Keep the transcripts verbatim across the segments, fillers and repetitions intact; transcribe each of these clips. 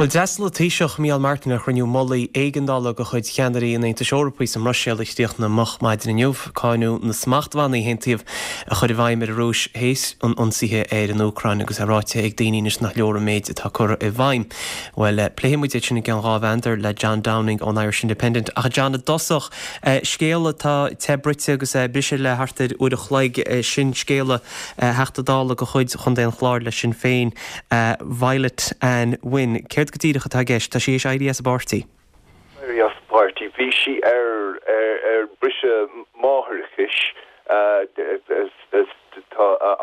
Well d'fhreastail an Taoiseach Micheál Martin ar chruinniú mullaigh éigeandála de chuid cheannairí an Aontais Eorpaigh sa mBruiséil a chríochnaigh moch maidin inniu cáineadh na smachtbhannaí a haontaíodh a chur i bhfeidhm ar an Rúis théis an ionsaithe ar an Úcráin agus é ráite ag daoine anois nach leor an méid atá curtha i bhfeidhm. Well pléifidh muid é sin i gceann dhá mheandar le John Downing ón Irish Independent ach John i dtosach scéal atá te bruite agus briseadh le thart ar uair a chloig sin scéala Theachta Dála de chuid Chontae an Chláir le Sinn Féin Violet Ann Wynne. Céard go díreach atá i gceist tá sí théis éirí as an bpáirtí. Éirí as an bpáirtí bhí sí ar ar ar briseadh máithreachais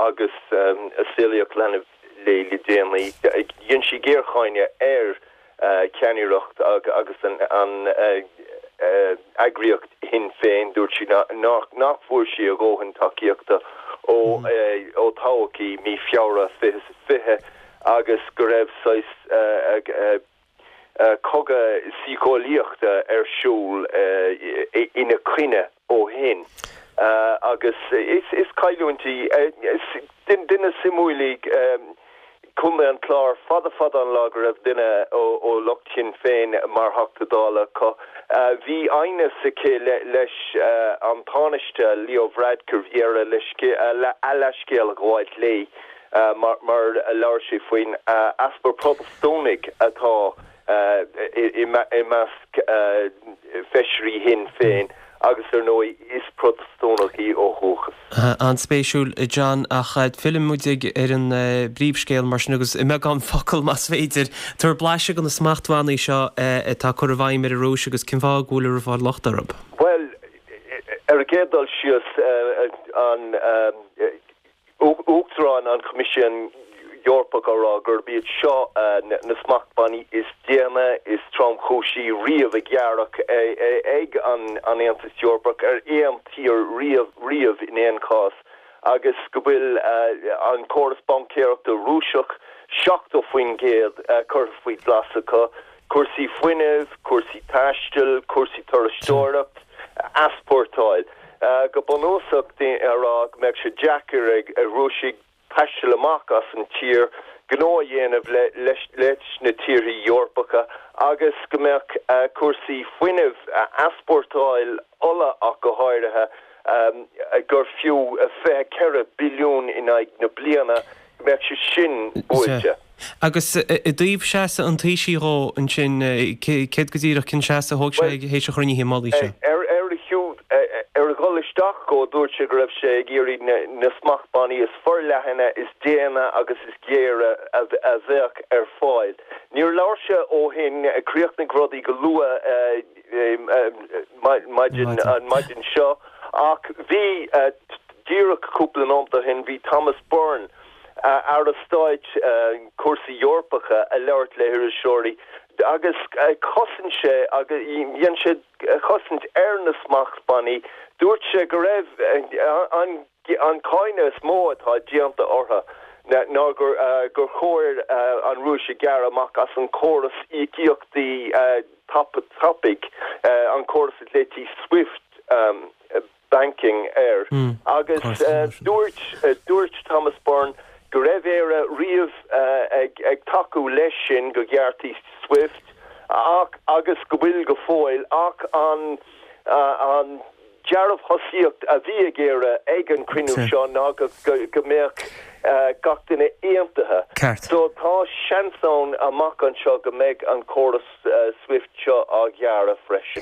agus a saolaíodh leanbh léi le déanaí. Dhein sí géarcháineadh ar ceannaireacht agus an an eagraíocht Shinn Féin dúirt sí nach nach bhfuair sí a dhóthain tacaíochta ó ó toghadh í mí Feabhra fiche fiche agus go raibh saghas cogadh síceolaíochta ar siúl ina coinne ó shin. agus is is cailliúint í duine suimiúil í Contae an Chláir fada fada an lá go raibh duine ó lucht Shinn Féin mar Theachta Dála acu. Bhí aighneas aici leis an Tánaiste Leo Varadkar bhí air a leithscéal a ghabháilt léi mar mar labhair sé faoin easpa Protastúnaigh atá i measc feisirí Shinn Féin agus ar ndóigh is Protastúnach í ó dhúchas. An-spéisiúil John ach fillfidh muid ar an bpríomhscéal mar sin agus i mbeagán focal más féidir tabhair blaiseadh de na smachtbhannaí seo atá curtha i bhfeidhm ar an Rúis agus cén fáth go bhfuil ag fáil locht orthu. Well ar an gcéad dul síos an Uachtarán an Choimisiúin Eorpach á rá gurb iad seo na smachtbhannaí is déine is tromchúisí riamh a gearradh ag an an Aontas Eorpach ar aon tír riamh riamh in aon chás agus go bhfuil an córas baincéireachta Rúiseach seachtó faoin gcéad curtha faoi ghlas acu, cúrsaí fuinnimh, cúrsaí taistil, cúrsaí turasóireacht, easpórtáil. Go bunúsach a rá go mbeadh sé deacair ag Rúisigh taisteal amach as an tír gnó a dhéanamh leis leis na tíortha Eorpacha agus go mbeadh cúrsaí fuinnimh easpórtáil ola ach go háirithe gur fiú fiche ceithre billiún in aghaidh na bliana go mbeadh sé sin buailte. Agus i dtaobh seasamh an Taoisigh dhó ansin céard go díreach cén seasamh a thóg sé théis an chruinnithe mullaigh seo? Ar ar a shiúd ar a dhul isteach go dúirt sé go raibh sé ag iarraidh na smachtbhannaí is forleithne is déine agus is géire a bheadh ar fáil. Níor labhair sé ó shin chríochnaigh rudaí go luath maidin an maidin seo ach bhí díreach cúpla nóiméad ó shin bhí Thomas Byrne Aire Stáit cúrsaí Eorpacha ag labhairt le hiriseoirí agus chosain sé agus dhein sé chosaint ar na smachtbhannaí dúirt sé go raibh an an cáineadh is mó atá déanta orthu ná gur gur chóir an Rúis a ghearradh amach as an córas íocaíochtaí tapaidh an córas a ghlaoití SWIFT banking air agus dúirt dúirt Thomas Byrne go raibh Éire riamh ag ag tacú leis sin go ngearrfaí SWIFT ach agus go bhfuil go fóill ach an an dearbhthosaíocht a bhí ag Éire ag an cruinniú seo ná go go mbeadh gach duine aontaithe. So tá seans ann amach anseo go mbeidh an córas SWIFT seo á ghearradh freisin.